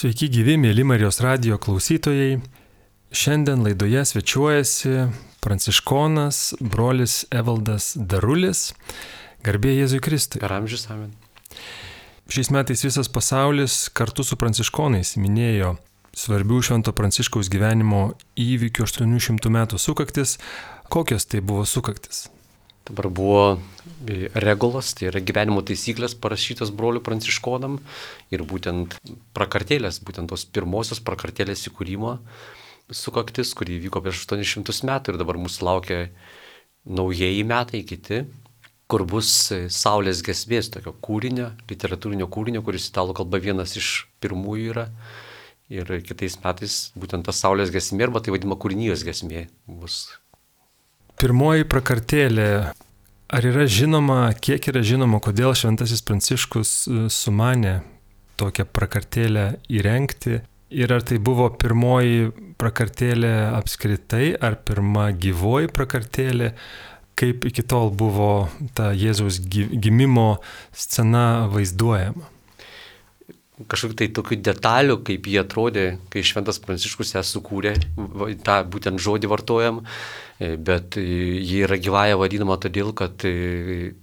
Sveiki gyvi, mėly Marijos radijo klausytojai. Šiandien laidoje svečiuojasi pranciškonas brolis Evaldas Darulis. Garbė Jėzui Kristui. Per amžius amen. Šiais metais visas pasaulis kartu su pranciškonais minėjo svarbių Švento Pranciškaus gyvenimo įvykių 800 metų sukaktis. Kokios tai buvo sukaktis? Dabar buvo regulos, tai yra gyvenimo taisyklės parašytos brolių pranciškonam ir būtent prakartėlės, būtent tos pirmosios prakartėlės įkūrimo sukaktis, kuri vyko prieš 800 metų ir dabar mūsų laukia naujieji metai, kiti, kur bus Saulės giesmės tokio kūrinio, literatūrinio kūrinio, kuris italų kalba vienas iš pirmųjų yra. Ir kitais metais būtent ta Saulės giesmė, arba tai vadinama kūrinijos giesmė bus. Pirmoji prakartėlė. Ar yra žinoma, kiek yra žinoma, kodėl Šventasis Pranciškus sumanė tokią prakartėlę įrengti? Ir ar tai buvo pirmoji prakartėlė apskritai, ar pirma gyvoji prakartėlė? Kaip iki tol buvo ta Jėzaus gimimo scena vaizduojama? Kažkokių tai tokių detalių, kaip jie atrodė, kai Šventas Pranciškus ją sukūrė, tą būtent žodį vartojam, bet ji yra gyvąja vadinama todėl, kad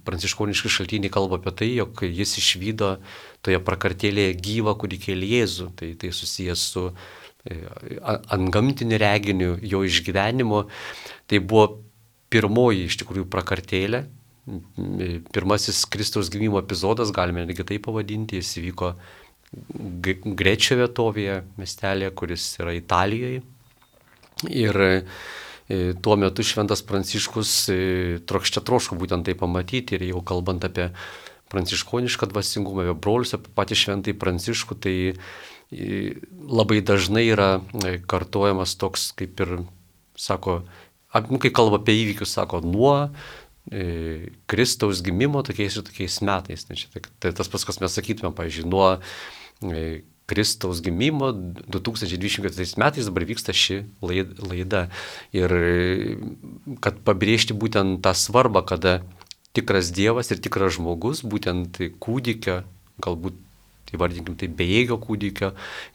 pranciškoniški šaltiniai kalba apie tai, jog jis išvydo toje prakartėlėje gyvą kūdikėlį Jėzų. Tai susijęs su antgamtiniu reginiu, jo išgyvenimu. Tai buvo pirmoji iš tikrųjų prakartėlė, pirmasis Kristaus gimimo epizodas, galime netgi tai pavadinti, jis įvyko Grečio vietovėje, miestelėje, kuris yra Italijoje. Ir tuo metu Šventas Pranciškus troško būtent tai pamatyti. Ir jau kalbant apie pranciškonišką dvasingumą, apie brolius, apie patį Šventąjį Pranciškų, tai labai dažnai yra kartojamas toks, kaip ir sako, kai kalba apie įvykius, sako, nuo Kristaus gimimo tokiais ir tokiais metais. Tai tas pats, kas mes sakytume, pavyzdžiui, nuo Kristaus gimimo 2024 metais dabar vyksta ši laida. Ir kad pabrėžti būtent tą svarbą, kada tikras Dievas ir tikras žmogus, būtent kūdikio, galbūt įvardinkim tai bejėgio kūdikio,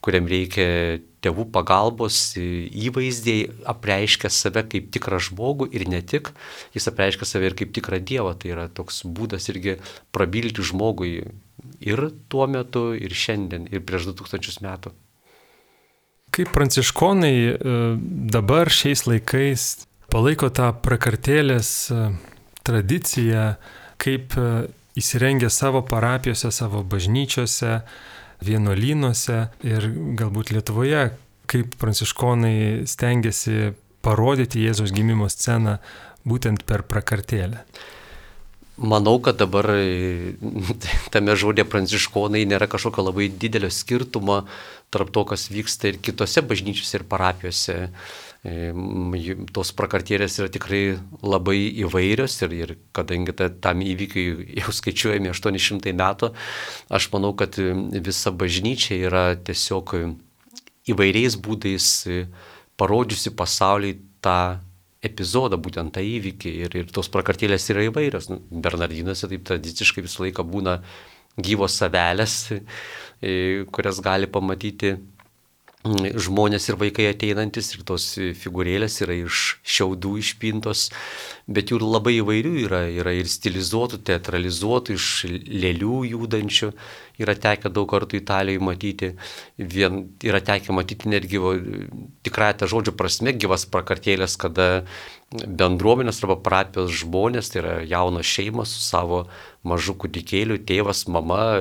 kuriam reikia tėvų pagalbos įvaizdžiai, apreiškia save kaip tikrą žmogų ir ne tik, jis apreiškia save ir kaip tikrą Dievą. Tai yra toks būdas irgi prabilti žmogui ir tuo metu, ir šiandien, ir prieš 2000 metų. Kaip pranciškonai dabar šiais laikais palaiko tą prakartėlės tradiciją, kaip įsirengia savo parapijose, savo bažnyčiose, vienuolynuose ir galbūt Lietuvoje, kaip pranciškonai stengiasi parodyti Jėzaus gimimo sceną būtent per prakartėlę. Manau, kad dabar tame žodė pranciškonai nėra kažkokio labai didelio skirtumo tarp to, kas vyksta ir kitose bažnyčiose ir parapijose. Tos prakartėlės yra tikrai labai įvairios ir kadangi tam įvykiui jau skaičiuojame 800 metų, aš manau, kad visa bažnyčia yra tiesiog įvairiais būdais parodžiusi pasauliui tą epizodą, būtent tą įvykį ir tos prakartėlės yra įvairios. Bernardinuose taip tradiciškai visą laiką būna gyvos avelės, kurias gali pamatyti žmonės ir vaikai ateinantis, ir tos figūrėlės yra iš šiaudų išpintos, bet jų labai įvairių yra ir stilizuotų, teatralizuotų, iš lėlių judančių. Yra tekę daug kartų Italijoje matyti, yra tekę matyti netgi tikrąją tą žodžio prasme gyvas prakartėlės, kada bendruomenės arba parapijos žmonės, tai yra jaunos šeimos su savo mažu kūdikėliu, tėvas, mama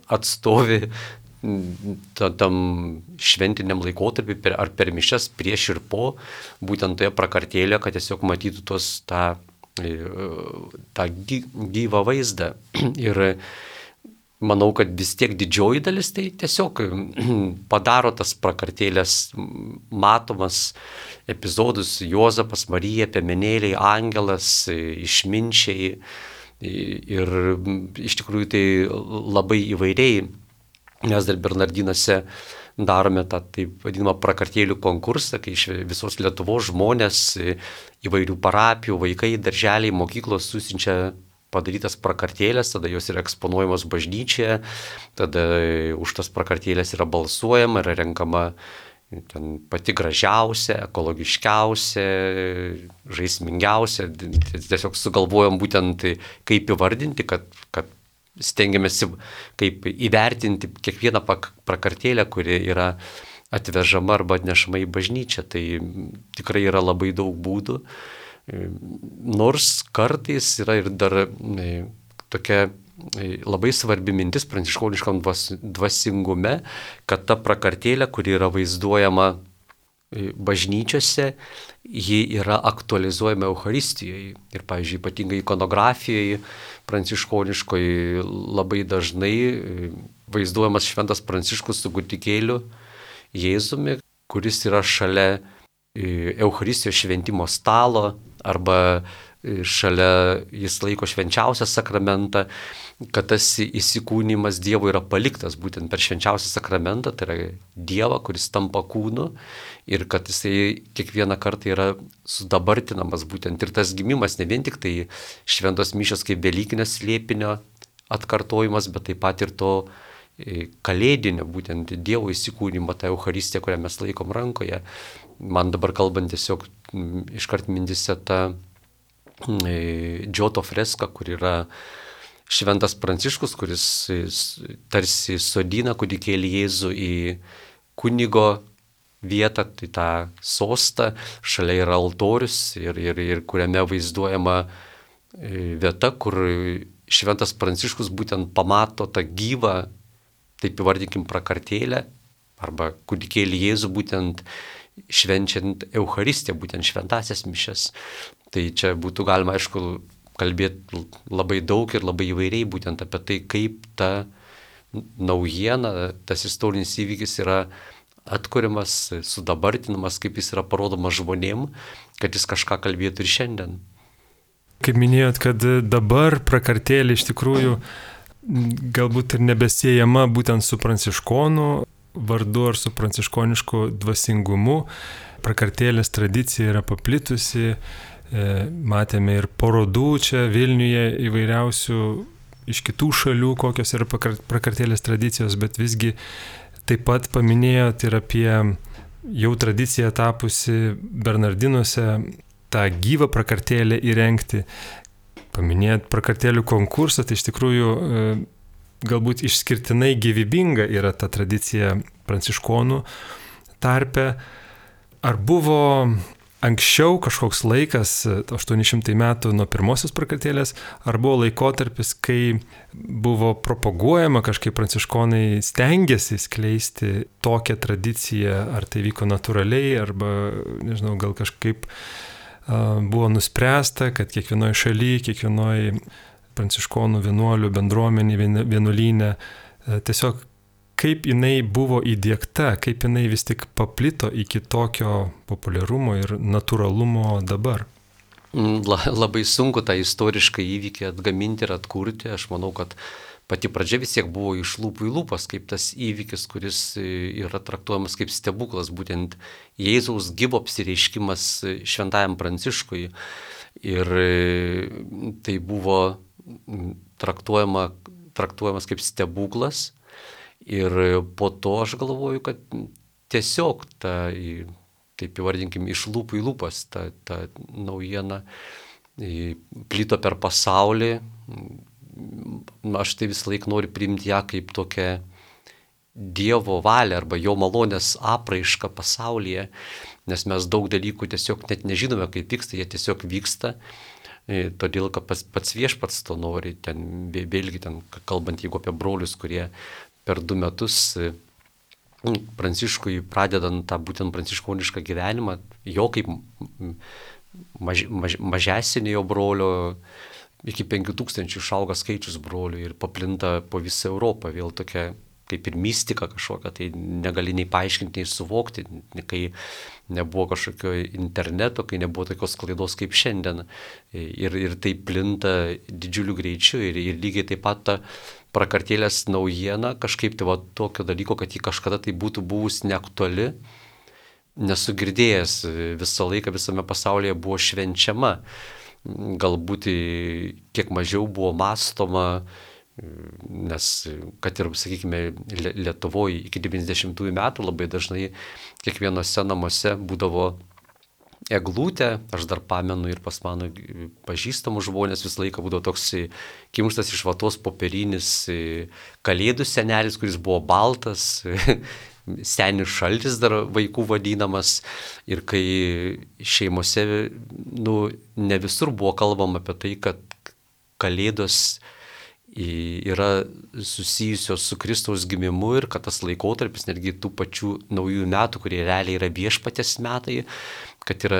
atstovi tam šventiniam laikotarpį ar per mišias prieš ir po, būtent toje prakartėlėje, kad tiesiog matytų tą gyvą vaizdą. Ir manau, kad vis tiek didžioji dalis tai tiesiog padaro tas prakartėlės matomas epizodus: Juozapas, Marija, piemenėliai, angelas, išminčiai. Ir iš tikrųjų tai labai įvairiai. Mes dar Bernardinuose darome tą taip vadinamą prakartėlių konkursą, kai iš visos Lietuvos žmonės, įvairių parapijų, vaikai, darželiai, mokyklos susiunčia padarytas prakartėlės, tada jos yra eksponuojamos bažnyčioje, tada už tas prakartėlės yra balsuojama, yra renkama ten pati gražiausia, ekologiškiausia, žaismingiausia. Tiesiog sugalvojom būtent kaip įvardinti, kad stengiamės kaip įvertinti kiekvieną prakartėlę, kuri yra atvežama arba atnešama į bažnyčią. Tai tikrai yra labai daug būdų. Nors kartais yra ir dar tokia labai svarbi mintis pranciškoniškam dvasingume, kad ta prakartėlė, kuri yra vaizduojama bažnyčiose, ji yra aktualizuojama Eucharistijoje. Ir, pavyzdžiui, ypatingai ikonografijoje pranciškoniškoje labai dažnai vaizduojamas šventas Pranciškus su kūdikėliu Jėzumi, kuris yra šalia Eucharistijos šventimo stalo arba šalia jis laiko švenčiausią sakramentą, kad tas įsikūnymas Dievo yra paliktas būtent per švenčiausią sakramentą, tai yra Dievą, kuris tampa kūnu ir kad jisai kiekvieną kartą yra sudabartinamas būtent ir tas gimimas, ne vien tik tai šventos mišios kaip velykinio slėpinio atkartojimas, bet taip pat ir to kalėdinio, būtent Dievo įsikūnymo, tą Eucharistiją, kurią mes laikom rankoje. Man dabar kalbant tiesiog iškart mintise ta Džioto freska, kur yra šventas Pranciškus, kuris tarsi sodina kūdikėlį Jėzų į kunigo vietą, tai tą sostą, šalia yra altorius ir kuriame vaizduojama vieta, kur šventas Pranciškus būtent pamato tą gyvą, taip įvardinkim, prakartėlę arba kūdikėlį Jėzų būtent švenčiant Eucharistiją, būtent šventasias mišias. Tai čia būtų galima, aišku, kalbėti labai daug ir labai įvairiai būtent apie tai, kaip ta naujiena, tas istorinis įvykis yra atkuriamas, sudabartinamas, kaip jis yra parodomas žmonėm, kad jis kažką kalbėtų ir šiandien. Kaip minėjot, kad dabar prakartėlė iš tikrųjų galbūt ir nebesiejama būtent su pranciškonų vardu ar su pranciškonišku dvasingumu. Prakartėlės tradicija yra paplitusi, matėme ir parodų čia Vilniuje įvairiausių iš kitų šalių, kokios yra prakartėlės tradicijos, bet visgi taip pat paminėjot ir apie jau tradiciją tapusi Bernardinuose tą gyvą prakartėlę įrengti. Paminėjot prakartėlių konkursą, tai iš tikrųjų galbūt išskirtinai gyvybinga yra ta tradicija pranciškonų tarpe. Ar buvo anksčiau kažkoks laikas, 800 metų nuo pirmosios prakartėlės, ar buvo laikotarpis, kai buvo propaguojama kažkaip pranciškonai stengiasi skleisti tokią tradiciją, ar tai vyko natūraliai, arba, nežinau, gal kažkaip buvo nuspręsta, kad kiekvienoje šalyje, kiekvienoje pranciškonų vienuolių bendruomenė, vienuolyne, tiesiog kaip jinai buvo įdiegta, kaip jinai vis tik paplito iki tokio populiarumo ir natūralumo dabar. Labai sunku tą istorišką įvykį atgaminti ir atkurti. Aš manau, kad pati pradžia vis tiek buvo iš lūpų į lūpas, kaip tas įvykis, kuris yra traktuojamas kaip stebuklas, būtent Jėzaus gyvo apsireiškimas šventajam Pranciškui. Ir tai buvo traktuojamas kaip stebuklas. Ir po to aš galvoju, kad tiesiog taip įvardinkim, iš lūpų į lūpas ta naujiena plito per pasaulį. Aš tai visą laiką noriu priimti ją kaip tokią Dievo valią arba jo malonės apraišką pasaulyje, nes mes daug dalykų tiesiog net nežinome, kaip vyksta, jie tiesiog vyksta. Todėl, kad pats viešpats to nori, ten vėlgi ten kalbant, jeigu apie brolius, kurie per 2 metus Pranciškui pradedant tą būtent pranciškonišką gyvenimą, jo kaip mažesnio brolio iki 5000 išauga skaičius brolių ir paplinta po visą Europą, vėl tokia kaip ir mistika kažkokia, tai negali nei paaiškinti, nei suvokti, kai nebuvo kažkokio interneto, kai nebuvo tokios klaidos kaip šiandien. Ir tai plinta didžiuliu greičiu ir lygiai taip pat ta prakartėlės naujiena, kažkaip tai va tokio dalyko, kad ji kažkada tai būtų buvus neaktuali, nesu girdėjęs, visą laiką visame pasaulyje buvo švenčiama. galbūt kiek mažiau buvo mąstoma, nes kad ir, sakykime, Lietuvoje iki 90-ųjų metų labai dažnai kiekvienose namuose būdavo eglutė, aš dar pamenu ir pas mano pažįstamų žmonės visą laiką būdavo toks kimštas iš vatos popierinis kalėdų senelis, kuris buvo baltas, senis šaltis dar vaikų vadinamas, ir kai šeimose, ne visur buvo kalbama apie tai, kad kalėdos yra susijusios su Kristaus gimimu ir kad tas laikotarpis, netgi tų pačių naujųjų metų, kurie realiai yra viešpaties metai, kad yra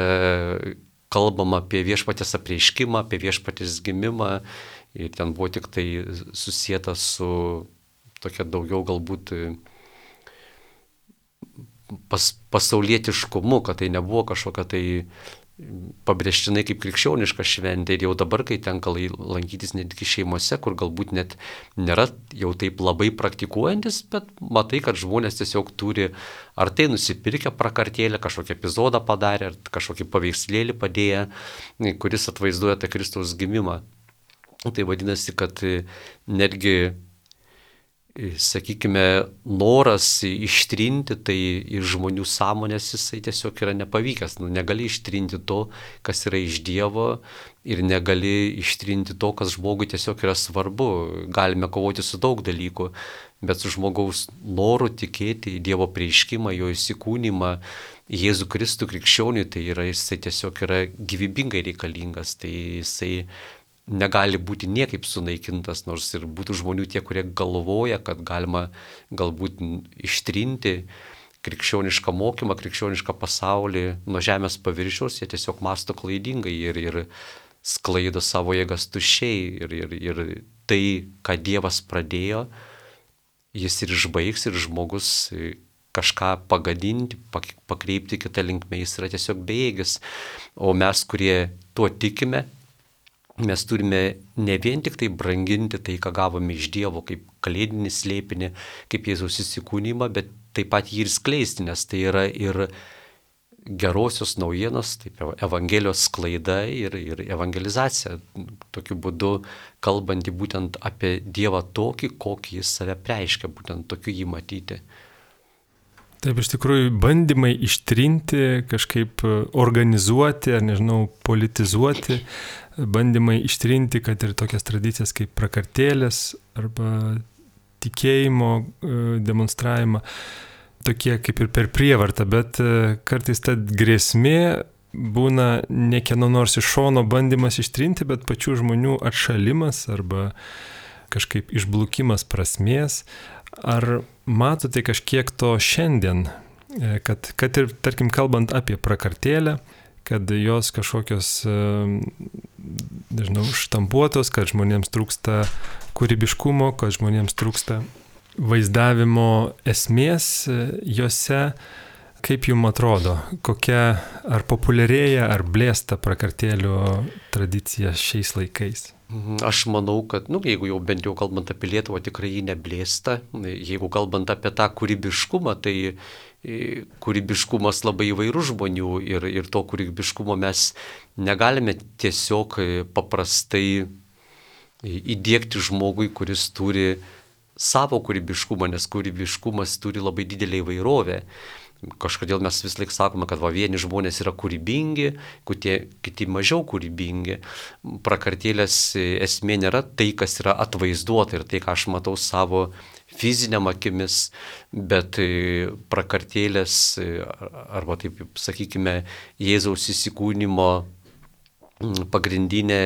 kalbama apie viešpaties apreiškimą, apie viešpaties gimimą, ir ten buvo tik tai susijęta su tokia daugiau galbūt pasaulietiškumu, kad tai nebuvo kažkokia tai pabrėžtinai kaip krikščioniška šventė. Ir jau dabar, kai tenka lankytis netgi šeimose, kur galbūt net nėra jau taip labai praktikuojantis, bet matai, kad žmonės tiesiog turi ar tai nusipirkę prakartėlę, kažkokį epizodą padarę, ar kažkokį paveikslėlį padėję, kuris atvaizduoja tą Kristaus gimimą. Tai vadinasi, kad netgi, sakykime, noras ištrinti tai iš žmonių sąmonės, jisai tiesiog yra nepavykęs. Negali ištrinti to, kas yra iš Dievo, ir negali ištrinti to, kas žmogui tiesiog yra svarbu. Galime kovoti su daug dalykų, bet su žmogaus noru tikėti į Dievo apreiškimą, jo įsikūnymą, Jėzų Kristų krikščioniui, tai yra, jisai tiesiog yra gyvybingai reikalingas. Tai jisai negali būti niekaip sunaikintas, nors ir būtų žmonių tie, kurie galvoja, kad galima galbūt ištrinti krikščionišką mokymą, krikščionišką pasaulį nuo žemės paviršiaus, jie tiesiog mąsto klaidingai ir sklaido savo jėgas tuščiai. Ir tai, ką Dievas pradėjo, jis ir išbaigs, ir žmogus kažką pagadinti, pakreipti kitą linkmę, jis yra tiesiog bejėgis. O mes, kurie tuo tikime, mes turime ne vien tik tai branginti tai, ką gavome iš Dievo, kaip kalėdinį slėpinį, kaip Jėzaus įsikūnymą, bet taip pat jį ir skleisti, nes tai yra ir gerosios naujienos, taip, Evangelijos sklaida ir evangelizacija. Tokiu būdu kalbanti būtent apie Dievą tokį, kokį jis save preiškia, būtent tokiu jį matyti. Taip, iš tikrųjų, bandymai ištrinti, kažkaip organizuoti, ar nežinau, politizuoti, bandymai ištrinti, kad ir tokias tradicijas kaip prakartėlės arba tikėjimo demonstravimą, tokie kaip ir per prievartą, bet kartais ta grėsmė būna ne kieno nors iš šono bandymas ištrinti, bet pačių žmonių atšalimas arba kažkaip išblukimas prasmės. Ar matote kažkiek to šiandien, kad ir, tarkim, kalbant apie prakartėlę, kad jos kažkokios, nežinau, štampuotos, kad žmonėms trūksta kūrybiškumo, kad žmonėms trūksta vaizdavimo esmės jose, kaip jums atrodo, kokia ar populiarėja, ar blėsta prakartėlių tradicija šiais laikais? Aš manau, kad, jeigu jau bent jau kalbant apie Lietuvą, tikrai jį neblėsta. Jeigu kalbant apie tą kūrybiškumą, tai kūrybiškumas labai įvairių žmonių ir to kūrybiškumo mes negalime tiesiog paprastai įdiegti žmogui, kuris turi savo kūrybiškumą, nes kūrybiškumas turi labai didelę įvairovę. Kažkodėl mes vis laik sakome, kad vieni žmonės yra kūrybingi, kiti mažiau kūrybingi. Prakartėlės esmė nėra tai, kas yra atvaizduota ir tai, ką aš matau savo fiziniam akimis, bet prakartėlės, arba taip sakykime, Jėzaus įsikūnymo pagrindinė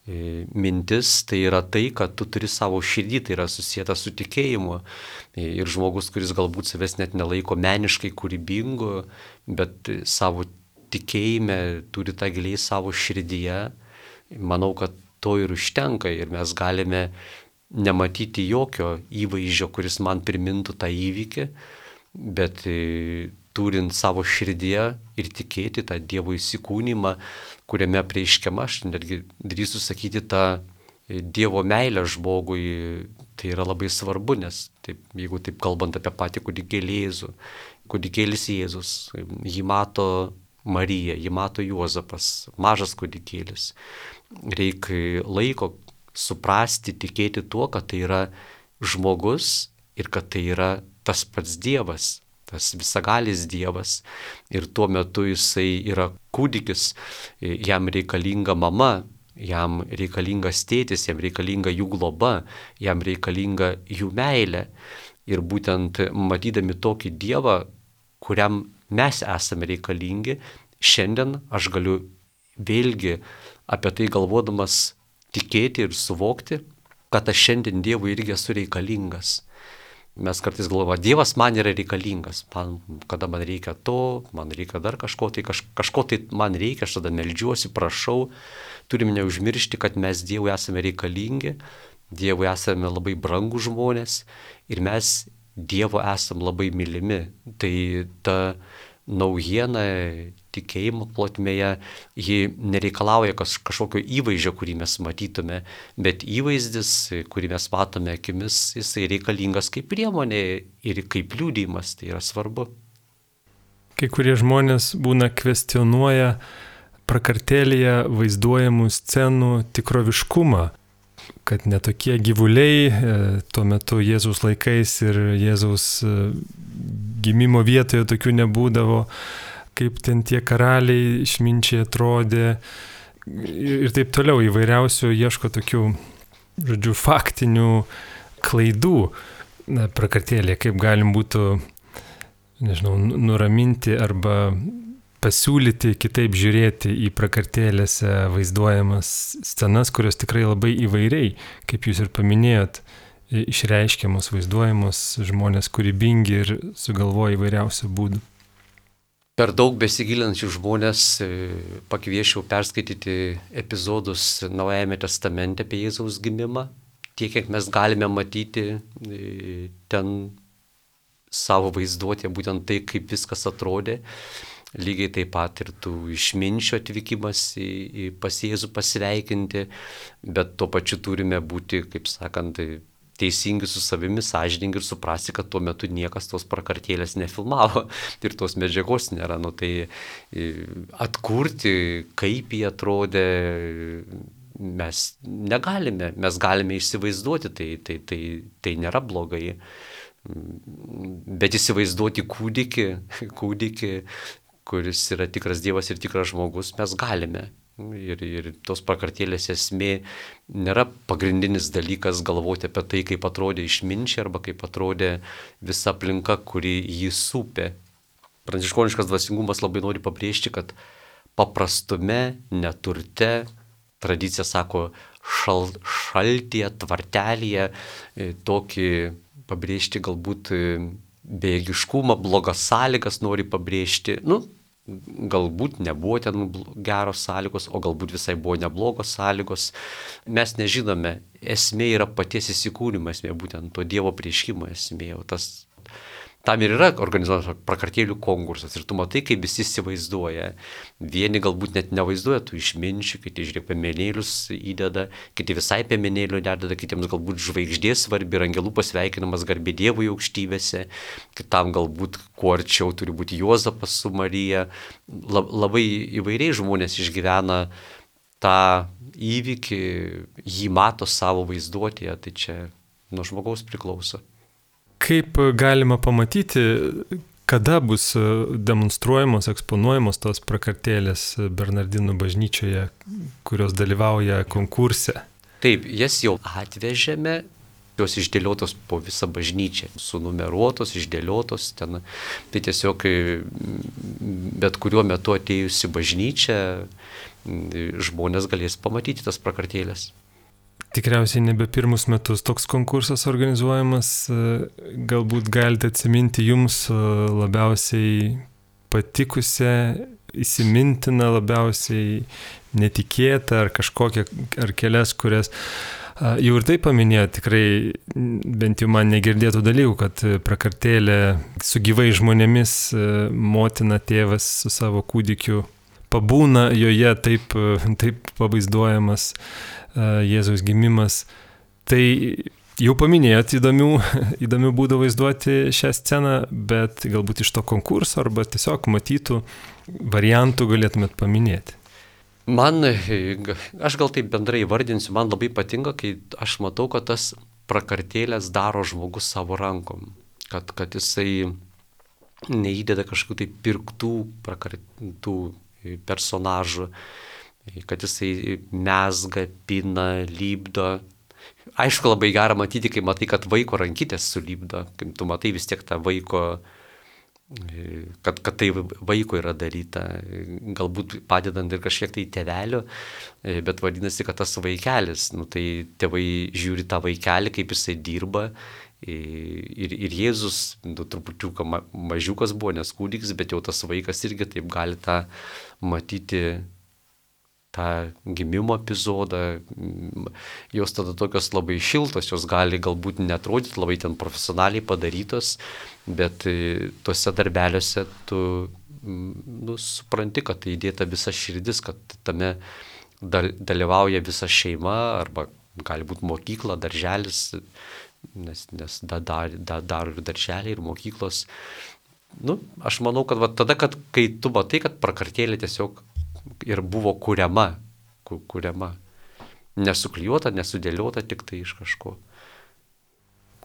mintis, tai yra tai, kad tu turi savo širdį, tai yra susijęta su tikėjimu. Ir žmogus, kuris galbūt savęs net nelaiko meniškai kūrybingu, bet savo tikėjime turi tą giliai savo širdyje, manau, kad to ir užtenka ir mes galime nematyti jokio įvaizdžio, kuris man primintų tą įvykį, bet turint savo širdyje ir tikėti tą Dievo įsikūnymą, kuriame apreiškiama, aš netgi drįstu sakyti, tą Dievo meilę žmogui, tai yra labai svarbu, nes taip, jeigu taip kalbant apie patį kūdikėlį Jėzų, kūdikėlis Jėzus, jį mato Marija, jį mato Juozapas, mažas kūdikėlis. Reikia laiko suprasti, tikėti tuo, kad tai yra žmogus ir kad tai yra tas pats Dievas, tas visagalis Dievas. Ir tuo metu jisai yra kūdikis, jam reikalinga mama, jam reikalingas tėtis, jam reikalinga jų globa, jam reikalinga jų meilė. Ir būtent matydami tokį Dievą, kuriam mes esame reikalingi, šiandien aš galiu vėlgi apie tai galvodamas tikėti ir suvokti, kad aš šiandien Dievui irgi esu reikalingas. Mes kartais galvojame, Dievas man yra reikalingas, kada man reikia to, man reikia dar kažko tai man reikia, aš tada meldžiuosi, prašau. Turim neužmiršti, kad mes Dievui esame reikalingi, Dievui esame labai brangų žmonės ir mes Dievo esam labai mylimi. Tai ta naujiena tikėjimo plotmėje, ji nereikalauja kažkokio įvaizdžio, kurį mes matytume, bet įvaizdis, kurį mes matome akimis, jisai reikalingas kaip priemonė ir kaip liudijimas, tai yra svarbu. Kai kurie žmonės būna kvestionuoja prakartėlėje vaizduojamų scenų tikroviškumą, kad netokie gyvuliai tuo metu Jėzaus laikais ir Jėzaus gimimo vietoje tokių nebūdavo, kaip ten tie karaliai išminčiai atrodė ir taip toliau, įvairiausių ieško tokių, faktinių klaidų prakartėlėje, kaip galim būtų, nuraminti arba pasiūlyti kitaip žiūrėti į prakartėlėse vaizduojamas scenas, kurios tikrai labai įvairiai, kaip jūs ir paminėjot, išreiškiamos, vaizduojamos, žmonės kūrybingi ir sugalvoja įvairiausių būdų. Per daug besigilinančių žmonės pakviečiau perskaityti epizodus Naujajame testamente apie Jėzaus gimimą, tiek, kiek mes galime matyti ten savo vaizduotėje, būtent tai, kaip viskas atrodė. Lygiai taip pat ir tų išminčių atvykimas pas Jėzų pasveikinti, bet tuo pačiu turime būti, kaip sakant, teisingi su savimi, sąžiningi ir suprasti, kad tuo metu niekas tos prakartėlės nefilmavo ir tos medžiagos nėra. Tai atkurti, kaip jie atrodė, mes negalime, mes galime įsivaizduoti, tai nėra blogai. Bet įsivaizduoti kūdikį, kuris yra tikras Dievas ir tikras žmogus, mes galime. Ir tos prakartėlės esmė nėra pagrindinis dalykas galvoti apie tai, kaip atrodė išminčiai arba kaip atrodė visa aplinka, kuri jį supė. Pranciškoniškas dvasingumas labai nori pabrėžti, kad paprastume, neturte, tradicija sako šaltyje, tvartelėje, tokį pabrėžti galbūt bejėgiškumą, blogas sąlygas nori pabrėžti. Galbūt nebuvo ten geros sąlygos, o galbūt visai buvo neblogos sąlygos. Mes nežinome, esmė yra paties įsikūnymo esmė, būtent to Dievo prieškimo esmė. Tam ir yra organizuojamas prakartėlių konkursas ir tu matai, kaip visi įsivaizduoja. Vieni galbūt net nevaizduoja tų išminčių, kiti žiūrėk piemenėlius įdeda, kiti visai piemenėlių nededa, kitiems galbūt žvaigždė svarbi ir angelų pasveikinamas garbė Dievui aukštybėse, kitam galbūt kuo arčiau turi būti Juozapas su Marija. Labai įvairiai žmonės išgyvena tą įvykį, jį mato savo vaizduotėje, tai čia nuo žmogaus priklauso. Kaip galima pamatyti, kada bus demonstruojamos, eksponuojamos tos prakartėlės Bernardinų bažnyčioje, kurios dalyvauja konkurse? Taip, jas jau atvežėme, jos išdėliotos po visą bažnyčią, sunumeruotos, išdėliotos ten. Tai tiesiog bet kuriuo metu atėjusi bažnyčia, žmonės galės pamatyti tas prakartėlės. Tikriausiai nebe pirmus metus toks konkursas organizuojamas, galbūt galite atsiminti jums labiausiai patikusią, įsimintiną, labiausiai netikėtą ar kažkokią, ar kelias, kurias jau ir tai paminėjo, tikrai bent jau man negirdėtų dalykų, kad prakartėlė su gyvai žmonėmis, motina, tėvas su savo kūdikiu pabūna joje, taip pavaizduojamas Jėzaus gimimas. Tai Jau paminėjot įdomių būdų vaizduoti šią sceną, bet galbūt iš to konkurso arba tiesiog matytų variantų galėtumėt paminėti. Aš gal taip bendrai vardinsiu, man labai patinka, kai aš matau, kad tas prakartėlės daro žmogus savo rankom, kad jisai neįdeda kažkokių tai pirktų personažų, kad jisai mezga, pina, lipdo. Aišku, labai gera matyti, kai matai, kad vaiko rankytės sulipdo, kai tu matai vis tiek tą vaiko, kad tai vaiko yra daryta, galbūt padedant ir kažkiek tai tėvelio, bet vadinasi, kad tas vaikelis, tai tėvai žiūri tą vaikelį, kaip jisai dirba. Ir Jėzus, trupučiuką mažiukas buvo, nes kūdikis, bet jau tas vaikas irgi taip gali tą matyti, tą gimimo epizodą, jos tada tokios labai šiltos, jos gali galbūt netrodyti labai ten profesionaliai padarytos, bet tuose darbeliuose tu supranti, kad tai įdėta visa širdis, kad tame dalyvauja visa šeima, arba gali būti mokykla, darželis, nes dar ir darželiai ir mokyklos. Aš manau, kad tada, kai tu matai, kad prakartėlė tiesiog ir buvo kuriama, nesuklijuota, nesudėliota tik tai iš kažko.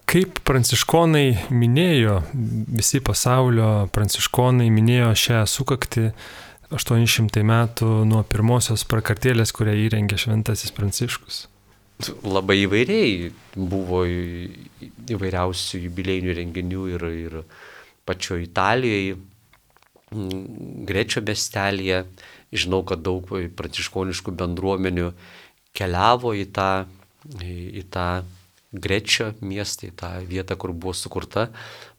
Kaip pranciškonai minėjo, visi pasaulio pranciškonai minėjo šią sukaktį 800 metų nuo pirmosios prakartėlės, kurią įrengė šventasis Pranciškus? Labai įvairiai buvo įvairiausių jubiliejinių renginių ir pačioje Italijoje, Grečio miestelėje. Žinau, kad daug pranciškoniškų bendruomenių keliavo į tą Grečio miestą, į tą vietą, kur buvo sukurta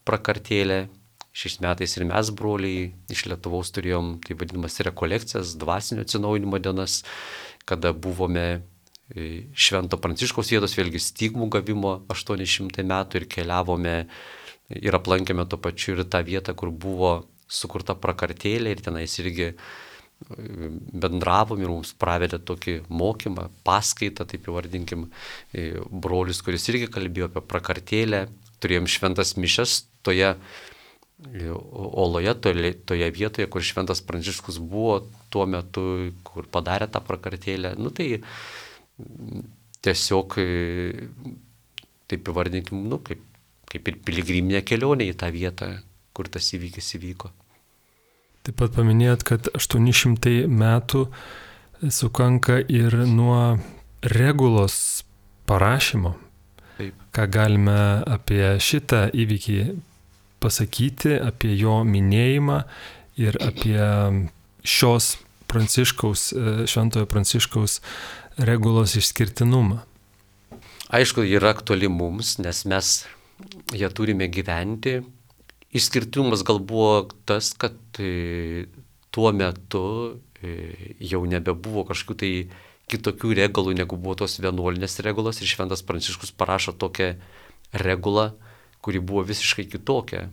prakartėlė. Šiais metais ir mes, broliai, iš Lietuvos turėjom, tai vadinamas, rekolekcijas, dvasinio atsinaujinimo dienas, kada buvome Švento Pranciškaus vietos, vėlgi stigmų gavimo 800 metų ir keliavome ir aplankėme to pačiu ir tą vietą, kur buvo sukurta prakartėlė ir tenais irgi bendravom ir mums pravedė tokį mokymą, paskaitą, taip įvardinkim, brolis, kuris irgi kalbėjo apie prakartėlę, turėjom šventas mišes toje oloje, toje vietoje, kur šventas Pranciškus buvo tuo metu, kur padarė tą prakartėlę. Tai tiesiog, taip įvardinkim, kaip ir piligriminė kelionė į tą vietą, kur tas įvykis įvyko. Taip pat paminėjot, kad 800 metų sukanka ir nuo regulos parašymo. Taip. Ką galime apie šitą įvykį pasakyti, apie jo minėjimą ir apie šios Šventojo Pranciškaus regulos išskirtinumą? Aišku, yra aktuali mums, nes mes ją turime gyventi. Išskirtinumas gal buvo tas, kad tuo metu jau nebebuvo kažkokių tai kitokių regulų, negu buvo tos vienuolinės regulos, ir šventas Pranciškus parašo tokią regulą, kuri buvo visiškai kitokia.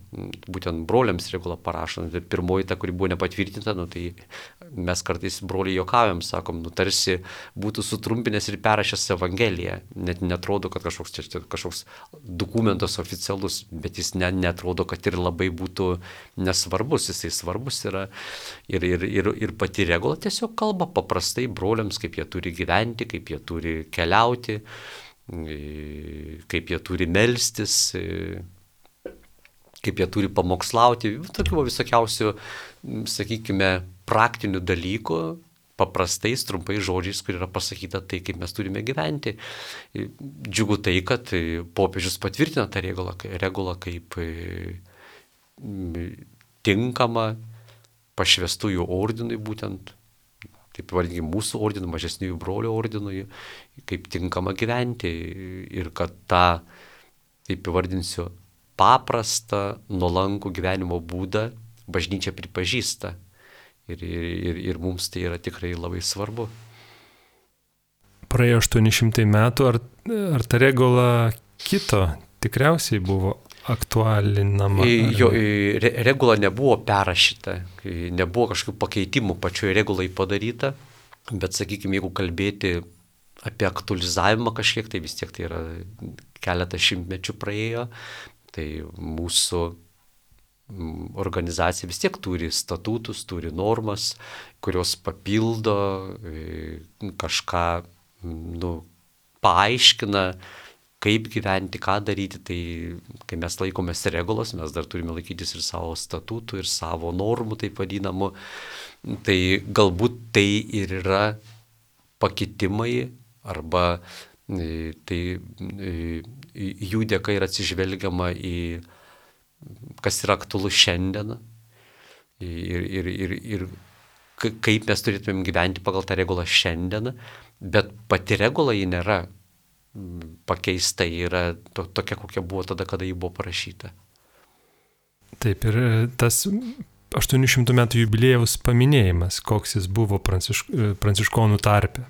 Būtent broliams regulą parašo. Pirmoji ta, kuri buvo nepatvirtinta, tai mes kartais broliai juokaujam, sakom, tarsi būtų sutrumpinęs ir perrašęs Evangeliją. Net netrodo, kad kažkoks dokumentas oficialus, bet jis netrodo, kad ir labai būtų nesvarbus. Jisai svarbus yra. Ir pati regula tiesiog kalba paprastai broliams, kaip jie turi gyventi, kaip jie turi keliauti, kaip jie turi melstis, kaip jie turi pamokslauti, tokių visokiausių, sakykime, praktinių dalykų, paprastais, trumpais žodžiais, kur yra pasakyta tai, kaip mes turime gyventi. Džiugu tai, kad popiežius patvirtina tą regulą kaip tinkama pašvestųjų ordinui būtent, taip vadinkime, mūsų ordinui, mažesniųjų brolių ordinui, kaip tinkama gyventi ir kad tą, taip įvardinsiu, paprastą, nuolankų gyvenimo būdą bažnyčia pripažįsta. Ir mums tai yra tikrai labai svarbu. Praėjo 800 metų, ar ta regula kito tikriausiai buvo aktualinama? Regula nebuvo perrašyta, nebuvo kažkokių pakeitimų pačioje regulai padaryta, bet, sakykime, jeigu kalbėti apie aktualizavimą kažkiek, tai vis tiek tai yra keletą šimtmečių praėjo, tai mūsų organizacija vis tiek turi statutus, turi normas, kurios papildo, kažką paaiškina, kaip gyventi, ką daryti. Tai kai mes laikomės regulos, mes dar turime laikytis ir savo statutų, ir savo normų, taip vadinamų. Tai galbūt tai ir yra pakitimai, arba tai jų dėka yra atsižvelgiama į kas yra aktualu šiandien ir kaip mes turėtumėm gyventi pagal tą regulą šiandien, bet pati regula ji nėra pakeista, yra tokia, kokia buvo tada, kada ji buvo parašyta. Taip, ir tas 800 metų jubiliejaus paminėjimas, koks jis buvo pranciškonų tarpe.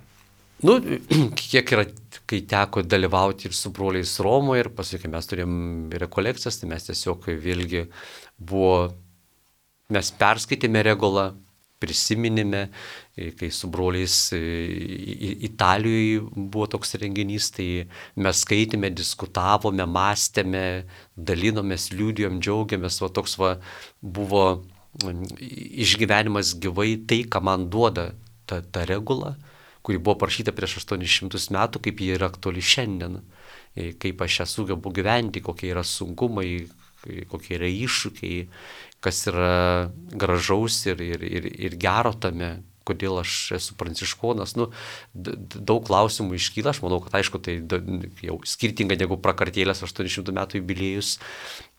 Kiek yra, kai teko dalyvauti ir su broliais Romoje, ir paskui, kai mes turėjom rekolekcijas, tai mes tiesiog vėlgi mes perskaitėme regulą, prisiminėme, kai su broliais Italijoje buvo toks renginys, tai mes skaitėme, diskutavome, mąstėme, dalinomės, liūdėjom, džiaugiamės, toks buvo išgyvenimas gyvai, tai, ką man duoda ta regula, kuri buvo parašyta prieš 800 metų, kaip ji yra aktuali šiandien, kaip aš ją sugebu gyventi, kokie yra sunkumai, kokie yra iššūkiai, kas yra gražaus ir gero tame, kodėl aš esu pranciškonas. Daug klausimų iškyla, aš manau, kad aišku, tai jau skirtinga negu prakartėlės 800 metų jubiliejus,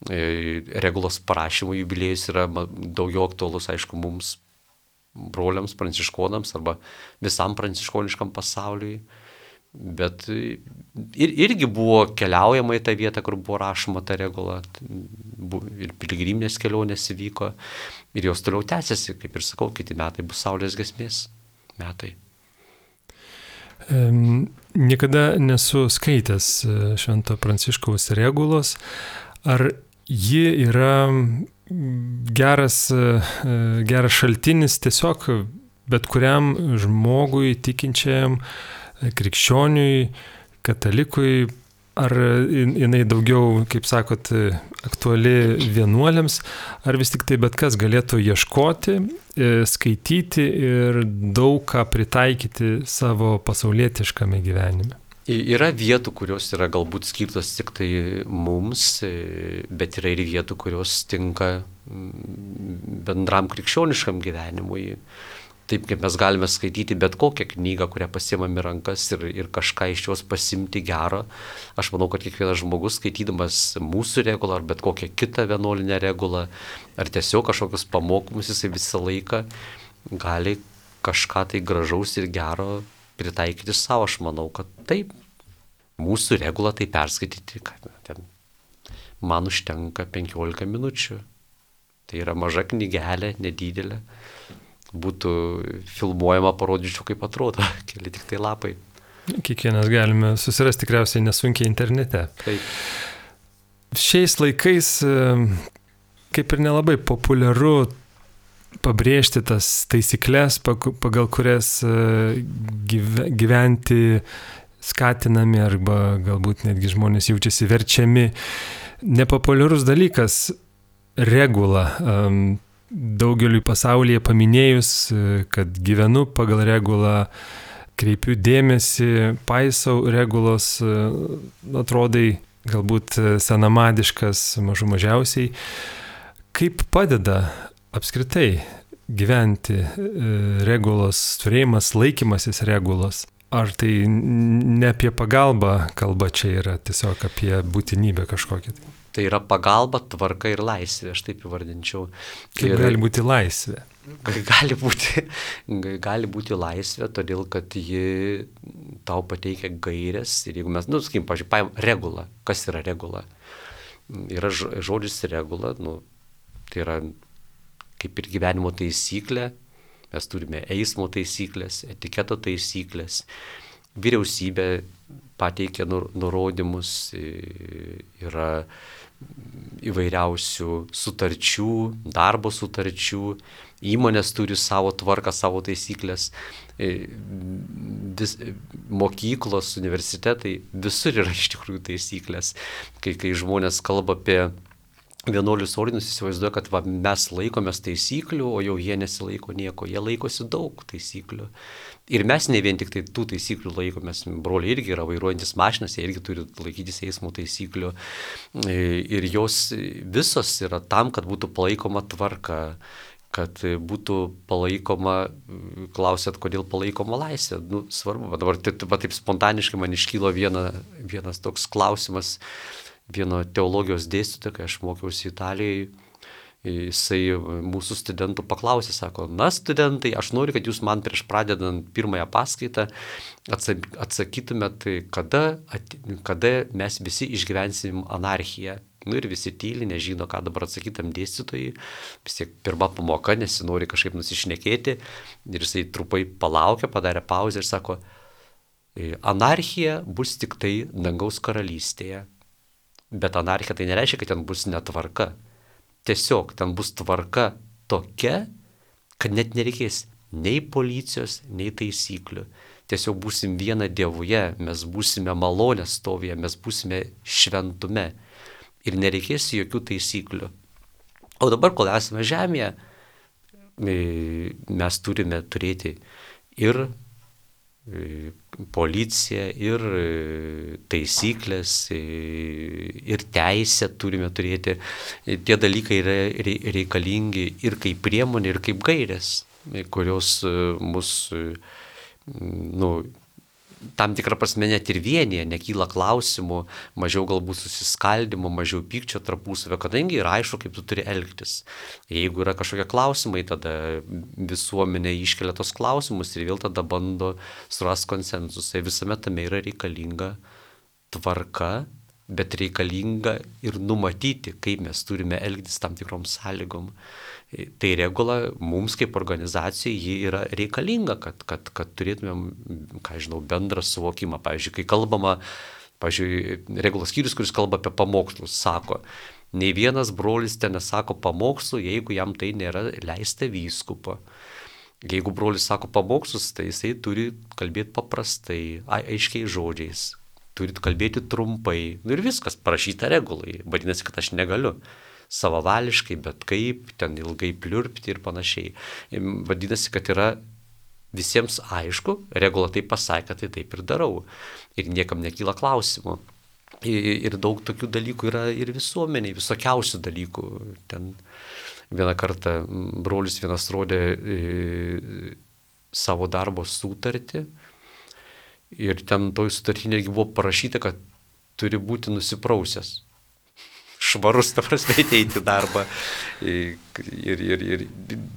regulos parašymo jubiliejus yra daugiau aktualus, aišku, mums, broliams, pranciškonams arba visam pranciškoniškam pasauliui. Bet irgi buvo keliaujama į tą vietą, kur buvo rašoma ta regula, ir piligriminės kelionės įvyko, ir jos toliau tęsiasi, kaip ir sakau, kiti metai bus Saulės giesmės metai. Niekada nesu skaitęs Švento Pranciškaus regulos. Ar ji yra geras šaltinis tiesiog bet kuriam žmogui, tikinčiajam, krikščioniui, katalikui, ar jinai daugiau, kaip sakot, aktuali vienuoliams, ar vis tik tai bet kas galėtų ieškoti, skaityti ir daug ką pritaikyti savo pasaulietiškame gyvenime? Yra vietų, kurios yra galbūt skirtos tik tai mums, bet yra ir vietų, kurios tinka bendram krikščioniškam gyvenimui. Taip kaip mes galime skaityti bet kokią knygą, kurią pasiemame į rankas ir kažką iš jos pasimti gero. Aš manau, kad kiekvienas žmogus, skaitydamas mūsų regulą ar bet kokią kitą vienuolinę regulą, ar tiesiog kažkokius pamokymus, jisai visą laiką gali kažką tai gražaus ir gero pritaikyti savo. Aš manau, kad taip, mūsų regulą tai perskaityti, man užtenka 15 minučių. Tai yra maža knygelė, nedidelė. Būtų filmuojama, parodyčiau, kaip atrodo, keli tik tai lapai. Kiekvienas galime susirasti tikriausiai nesunkiai internete. Taip. Šiais laikais kaip ir nelabai populiaru pabrėžti tas taisyklės, pagal kurias gyventi skatinami arba galbūt netgi žmonės jaučiasi verčiami. Nepopuliarus dalykas regula. Daugeliui pasaulyje paminėjus, kad gyvenu pagal regulą, kreipiu dėmesį, paisau regulos, atrodai galbūt senamadiškas mažiausiai. Kaip padeda apskritai gyventi regulos turėjimas, laikymasis regulos? Ar tai ne apie pagalbą kalba čia yra, tiesiog apie būtinybę kažkokią? Tai yra pagalba, tvarka ir laisvė, aš taip įvardinčiau. Kaip gali būti laisvė? Gali būti laisvė, todėl kad ji tau pateikia gairės. Ir jeigu mes, sakykim, pažiūrėjom, regula. Kas yra regula? Yra žodis regula, tai yra kaip ir gyvenimo taisyklė. Mes turime eismo taisyklės, etiketo taisyklės. Vyriausybė pateikia nurodymus, yra įvairiausių sutarčių, darbo sutarčių, įmonės turi savo tvarką, savo taisyklės, mokyklos, universitetai, visur yra iš tikrųjų taisyklės. Kai žmonės kalba apie vienuolius ordinus, įsivaizduoja, kad mes laikomės taisyklių, o jau jie nesilaiko nieko, jie laikosi daug taisyklių. Ir mes ne vien tik tai tų taisyklių laikomės, broliai irgi yra vairuojantis mašinas, jie irgi turi laikytis eismo taisyklių. Ir jos visos yra tam, kad būtų palaikoma tvarka, kad būtų palaikoma, klausėt, kodėl palaikoma laisvė. Svarbu, dabar taip spontaniškai man iškylo vienas toks klausimas, vieno teologijos dėstytojo, kai aš mokiausi Italijoje, jisai mūsų studentų paklausė, sako, na studentai, aš noriu, kad jūs man prieš pradedant pirmąją paskaitą atsakytumėt, kada mes visi išgyvensim anarchiją. Ir visi tyli, nežino, ką dabar atsakytam dėstytojai, vis tiek pirma pamoka, nesinori kažkaip nusišnekėti, ir jisai trupai palaukė, padarė pauzę ir sako, anarchija bus tik tai dangaus karalystėje. Bet anarchija tai nereiškia, kad ten bus netvarka. Tiesiog ten bus tvarka tokia, kad net nereikės nei policijos, nei taisyklių. Tiesiog būsim viena Dievuje, mes būsime malonės stovyje, mes būsime šventume ir nereikės jokių taisyklių. O dabar, kol esame žemėje, mes turime turėti ir policiją, ir taisyklės, ir teisę turime turėti. Tie dalykai yra reikalingi ir kaip priemonė, ir kaip gairės, kurios mus, tam tikrą prasme net ir vienyje, nekyla klausimų, mažiau galbūt susiskaldimo, mažiau pykčio tarpusavio, kadangi yra aišku, kaip tu turi elgtis. Jeigu yra kažkokie klausimai, tada visuomenė iškelia tos klausimus ir vėl tada bando surasti konsensusą. Visame tame yra reikalinga tvarka, bet reikalinga ir numatyti, kaip mes turime elgtis tam tikrom sąlygom. Tai regula mums kaip organizacijai ji yra reikalinga, kad turėtumėm, bendrą suvokimą. Pavyzdžiui, kai kalbama, regulos skyrius, kuris kalba apie pamokslus, sako, nei vienas brolis ten nesako pamokslų, jeigu jam tai nėra leista vyskupo. Jeigu brolis sako pamokslus, tai jisai turi kalbėti paprastai, aiškiai žodžiais, turi kalbėti trumpai. Ir viskas parašyta regulai, vadinasi, kad aš negaliu savavališkai, bet kaip, ten ilgai pliurpti ir panašiai. Vadinasi, kad yra visiems aišku, regula taip pasakė, tai taip ir darau. Ir niekam nekyla klausimų. Ir daug tokių dalykų yra ir visuomeniai, visokiausių dalykų. Ten vieną kartą brolis vienas rodė savo darbo sutartį ir ten toj sutartinė buvo parašyta, kad turi būti nusiprausęs. Švarus, ta prasme, ateiti į darbą. Ir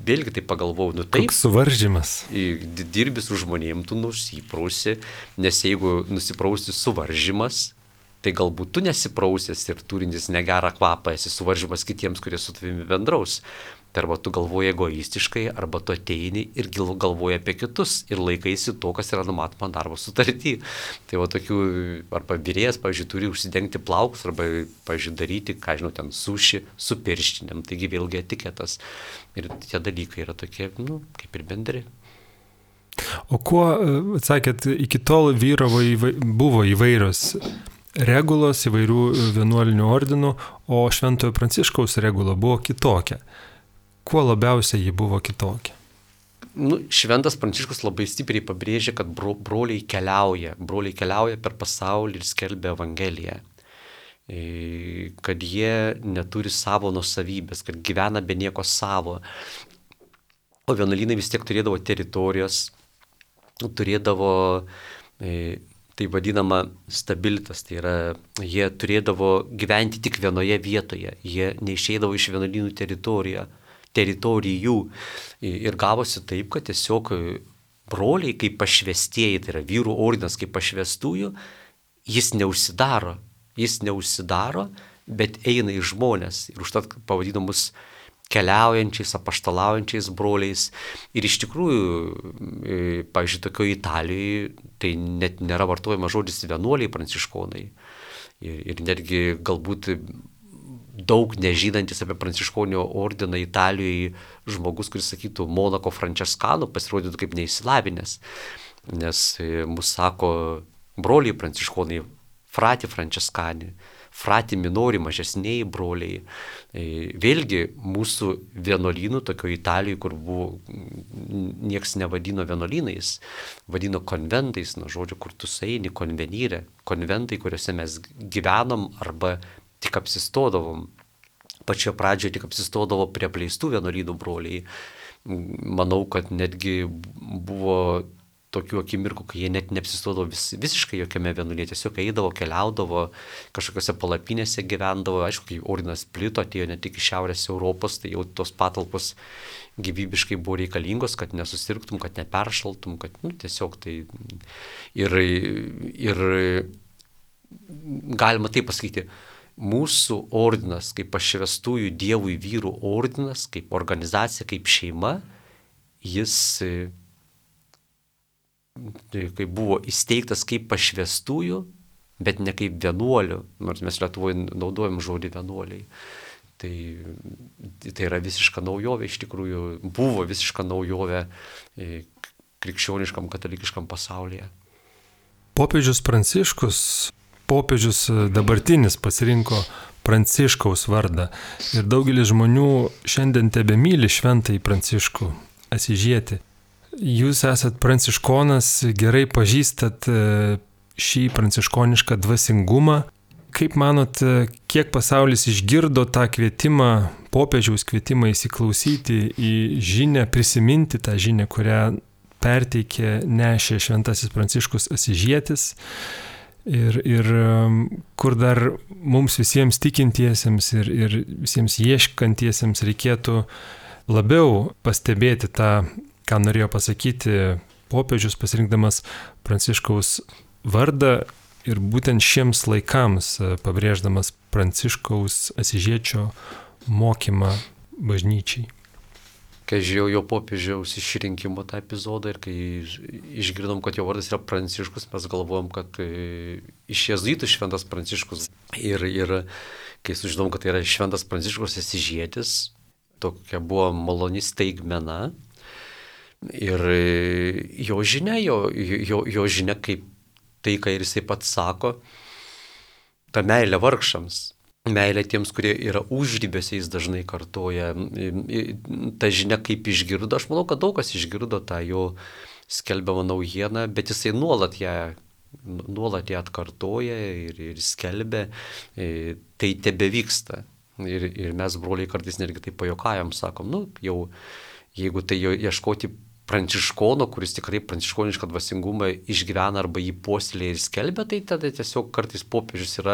vėlgi tai pagalvojau, taip. Koks suvaržymas. Dirbi su žmonėm, tu nusiprausi, nes jeigu nusiprausti suvaržymas, tai galbūt tu nesiprausęs ir turintis negerą kvapą, esi suvaržymas kitiems, kurie su tavimi bendraus. Tai arba tu galvoji egoistiškai, arba tu ateini ir galvoji apie kitus ir laikaisi to, kas yra numatoma darbo sutarty. Tai tokių, arba vyrėjas, turi užsidengti plaukus, arba, daryti, ten suši su pirštinėm, taigi vėlgi etiketas. Ir tie dalykai yra tokie, kaip ir bendri. O kuo, sakėt, iki tol buvo įvairios regulos, įvairių vienuolinių ordinų, o Šventojo Pranciškaus regula buvo kitokia. Kuo labiausiai ji buvo kitokia? Šventas Pranciškus labai stipriai pabrėžia, kad broliai keliauja per pasaulį ir skelbia Evangeliją. Kad jie neturi savo nuosavybės, kad gyvena be nieko savo. O vienuolynai vis tiek turėdavo teritorijos, turėdavo tai vadinama stabilitas, tai yra, jie turėdavo gyventi tik vienoje vietoje, jie neišeidavo iš vienuolynų teritorijų ir gavosi taip, kad tiesiog broliai kaip pašvestieji, tai yra vyrų ordinas kaip pašvestųjų, jis neužsidaro, bet eina į žmonės ir užtat pavadinamus keliaujančiais, apaštalaujančiais broliais. Ir iš tikrųjų, pavyzdžiui, tokioje Italijoje tai net nėra vartojama žodis vienuoliai pranciškonai. Ir netgi galbūt daug nežinantis apie pranciškonio ordiną Italijoje žmogus, kuris sakytų Monako Franceskanų, pasirodytų kaip neįsilavinęs. Nes mus sako broliai pranciškonai, frati Franceskani, frati minori, mažesniai broliai. Vėlgi mūsų vienuolynų, tokio Italijoje, kur buvo, nieks nevadino vienuolynais, vadino konventais, nuo žodžio, kur tu eini, konvenyrė, konventai, kuriuose mes gyvenom arba tik apsistodavom. Pačioje pradžioje tik apsistodavo prie apleistų vienuolynų broliai. Manau, kad netgi buvo tokių akimirkų, kai jie net neapsistodavo visiškai jokiame vienuolyne, tiesiog eidavo, keliaudavo, kažkokiose palapinėse gyvendavo. Aišku, kai ordinas plito, atėjo ne tik iš Šiaurės Europos, tai jau tos patalpos gyvybiškai buvo reikalingos, kad nesusirgtum, kad neperšaltum, kad tiesiog tai... Ir galima taip pasakyti, mūsų ordinas, kaip pašvęstųjų Dievui vyrų ordinas, kaip organizacija, kaip šeima, jis kai buvo įsteigtas kaip pašvęstųjų, bet ne kaip vienuolių, nors mes Lietuvoje naudojam žodį vienuoliai. Tai yra visiška naujovė, iš tikrųjų buvo visiška naujovė krikščioniškam, katalikiškam pasaulyje. Popiežius Pranciškus, popiežius dabartinis pasirinko Pranciškaus vardą ir daugelis žmonių šiandien tebemyli šventąjį Pranciškų Asyžietį. Jūs esat pranciškonas, gerai pažįstat šį pranciškonišką dvasingumą. Kaip manot, kiek pasaulis išgirdo tą kvietimą, popiežiaus kvietimą įsiklausyti į žinią, prisiminti tą žinią, kurią perteikė, nešė šventasis Pranciškus Asyžietis ir kur dar mums visiems tikintiesiems ir visiems ieškantiesiems reikėtų labiau pastebėti tą, ką norėjo pasakyti popiežius pasirinkdamas Pranciškaus vardą ir būtent šiems laikams pabrėždamas Pranciškaus Asyžiečio mokymą bažnyčiai. Kai žiūrėjau jo popiežiaus išrinkimo tą epizodą ir kai išgirdom, kad jo vardas yra Pranciškus, mes galvojom, kad iš jėzuitų šventas Pranciškus. Ir kai sužinom, kad tai yra šventas Pranciškus Asyžietis, tokia buvo maloni staigmena. Ir jo žinia, jo žinia, kaip tai, ką ir jisai pats sako, ta meilė vargšams, meilė tiems, kurie yra užribėse, jis dažnai kartoja. Ta žinia, kaip išgirdo, aš manau, kad daug kas išgirdo tą jo skelbiamą naujieną, bet jisai nuolat ją atkartoja ir skelbia, tai tebevyksta. Ir mes, broliai, kartais netgi tai pajuokajam, sakom, jau jeigu tai ieškoti pranciškono, kuris tikrai pranciškonišką dvasingumą išgyvena arba jį puoselėja ir skelbia, tai tada tiesiog kartais popiežius yra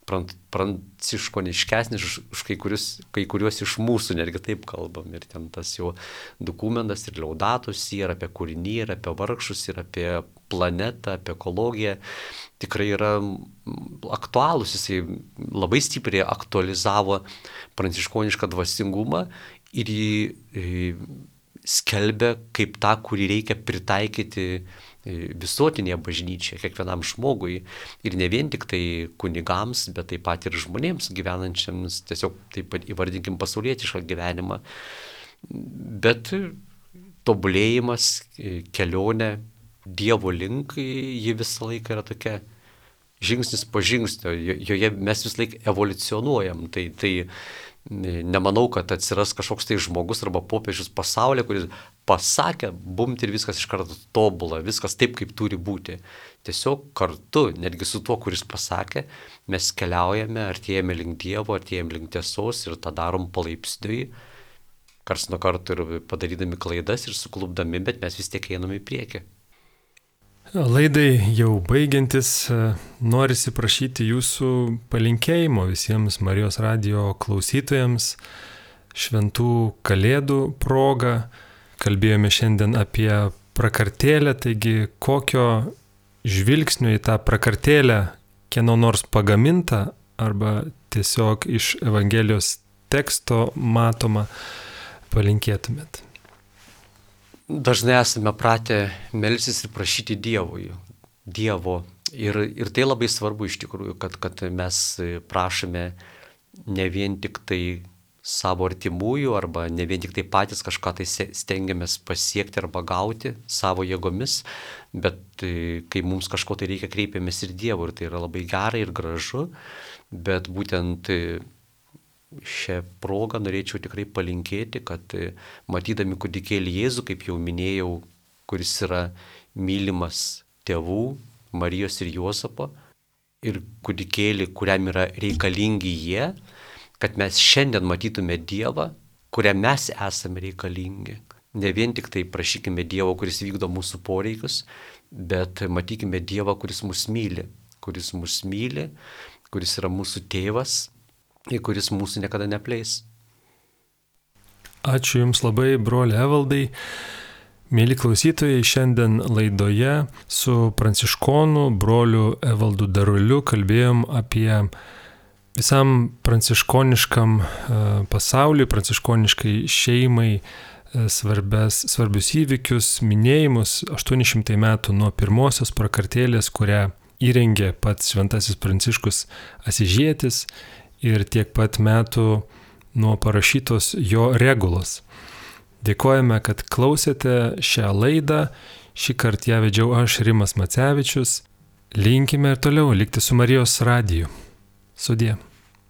pranciškoniškesnis už kai kuriuos iš mūsų, netgi taip kalbam. Ir ten tas jo dokumentas ir Laudatus, ir apie kūrinį, ir apie vargšus, ir apie planetą, apie ekologiją, tikrai yra aktualūs. Jisai labai stipriai aktualizavo pranciškonišką dvasingumą ir jį skelbia kaip tą, kurį reikia pritaikyti visuotinėje bažnyčioje, kiekvienam žmogui. Ir ne vien tik tai kunigams, bet taip pat ir žmonėms gyvenančiams, tiesiog taip pat įvardinkim pasaulietišką gyvenimą. Bet tobulėjimas, kelionė Dievo link, ji visą laiką yra tokia žingsnis po žingsnio, joje mes visą laiką evoliucionuojam. Tai nemanau, kad atsiras kažkoks tai žmogus arba popiežius pasaulyje, kuris pasakė, bumt ir viskas iš karto tobula, viskas taip, kaip turi būti. Tiesiog kartu, netgi su tuo, kuris pasakė, mes keliaujame, artėjame link Dievo, artėjame link tiesos ir tą darom palaipsniui, karts nuo karto ir padarydami klaidas ir suklupdami, bet mes vis tiek einame į priekį. Laidai jau baigiantis, norisi prašyti jūsų palinkėjimo visiems Marijos radijo klausytojams šventų kalėdų proga. Kalbėjome šiandien apie prakartėlę, taigi kokio žvilgsnio į tą prakartėlę, kieno nors pagaminta arba tiesiog iš Evangelijos teksto matoma, palinkėtumėt? Dažnai esame pratę melstis ir prašyti Dievo. Ir tai labai svarbu iš tikrųjų, kad mes prašome ne vien tik tai savo artimųjų arba ne vien tik tai patys kažką tai stengiamės pasiekti arba gauti savo jėgomis, bet kai mums kažko tai reikia, kreipiamės ir Dievui ir tai yra labai gerai ir gražu, bet būtent šią progą norėčiau tikrai palinkėti, kad matydami kūdikėlį Jėzų, kaip jau minėjau, kuris yra mylimas tėvų, Marijos ir Juozapo, ir kūdikėlį, kuriam yra reikalingi jie, kad mes šiandien matytume Dievą, kuriam mes esame reikalingi. Ne vien tik tai prašykime Dievo, kuris vykdo mūsų poreikius, bet matykime Dievą, kuris mus myli, kuris yra mūsų tėvas ir kuris mūsų niekada nepleis. Ačiū Jums labai, broli Evaldai. Mėly klausytojai, šiandien laidoje su pranciškonu broliu Evaldu Daruliu kalbėjom apie visam pranciškoniškam pasauliui, pranciškoniškai šeimai svarbius įvykius, minėjimus 800 metų nuo pirmosios prakartėlės, kurią įrengė pats Šventasis Pranciškus Asyžietis ir tiek pat metų nuo parašytos jo regulos. Dėkojame, kad klausėte šią laidą. Šį kartą ją vedžiau aš, Rimas Macevičius. Linkime ir toliau likti su Marijos radiju. Sudie.